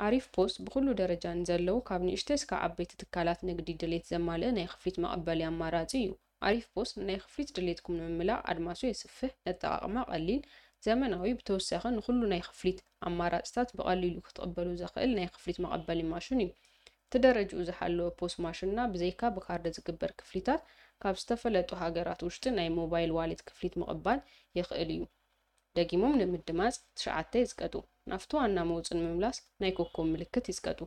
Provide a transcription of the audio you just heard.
ኣሪፍ ፖስ ብኹሉ ደረጃ ንዘለዉ ካብ ንእሽተይ እስካብ ዓበይቲ ትካላት ንግዲ ድሌት ዘማልእ ናይ ክፍሊት መቐበሊ ኣማራጺ እዩ። ኣሪፍ ፖስ ንናይ ክፍሊት ድሌትኩም ንምምላእ ኣድማሱ የስፍሕ፣ ነጠቓቕማ ቀሊል፣ ዘመናዊ ብተወሳኺ ንኹሉ ናይ ክፍሊት ኣማራጽታት ብቐሊሉ ክትቕበሉ ዘኽእል ናይ ክፍሊት መቐበሊ ማሽን እዩ። እቲ ደረጅኡ ዝሓለወ ፖስ ማሽንና ብዘይካ ብካርድ ዝግበር ክፍሊታት ካብ ዝተፈለጡ ሃገራት ውሽጢ ናይ ሞባይል ዋሌት ክፍሊት ምቕባል የኽእል እዩ። ደጊሞም ንምድማፅ ትሽዓተ ይፅቀጡ። ናብቲ ዋና መውፅኢ ንምምላስ ናይ ኮኮብ ምልክት ይፅቀጡ።